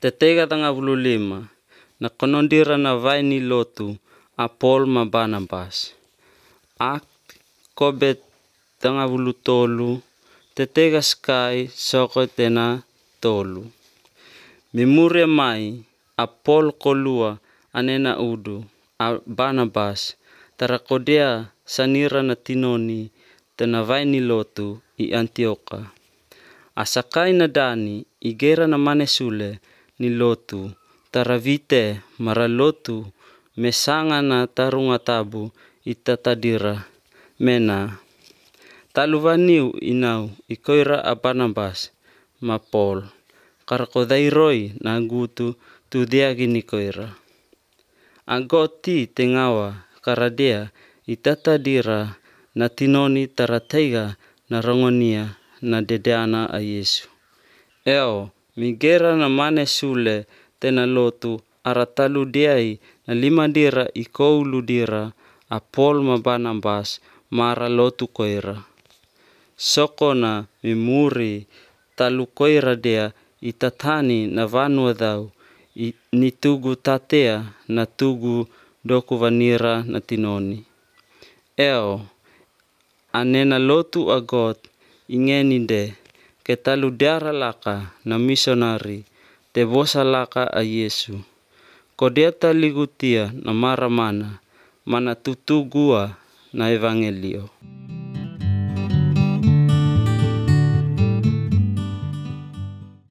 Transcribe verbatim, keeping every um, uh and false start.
Tetega tanga puluh lima, na konondira na vai ni lotu a Paul ma Barnabas. Ak kobet tanga puluh tolu, tetega sky soko tena tolu. Mimure mai a Paul kolua anena udu a Barnabas tarakodea sanira na tinoni tena vai ni lotu i Antioka. Asakai na dani igera na mane sule ni lotu taravite mara lotu mesanga na tarunga tabu itatadira mena taluvaniu inau ikoira a Barnabas ma Paul karakodairoi na gutu tu diagi nikoira. Agoti tengawa karadea itatadira na tinoni tarateiga na rongonia na dedeana a Yesu. Eo migera na mane sule tena lotu aratalu diai na lima dira ikoulu dira a Paul ma Barnabas mara lotu koira. Sokona mimuri talu koira dea itatani na vanua dhau ni tugu tatea na tugu doku vanira na tinoni. Eo anena lotu agot ingeninde ke talu diara laka na misionari te bosa laka a Yesu. Kodeta ligutia na maramana mana tutugua na evangelio.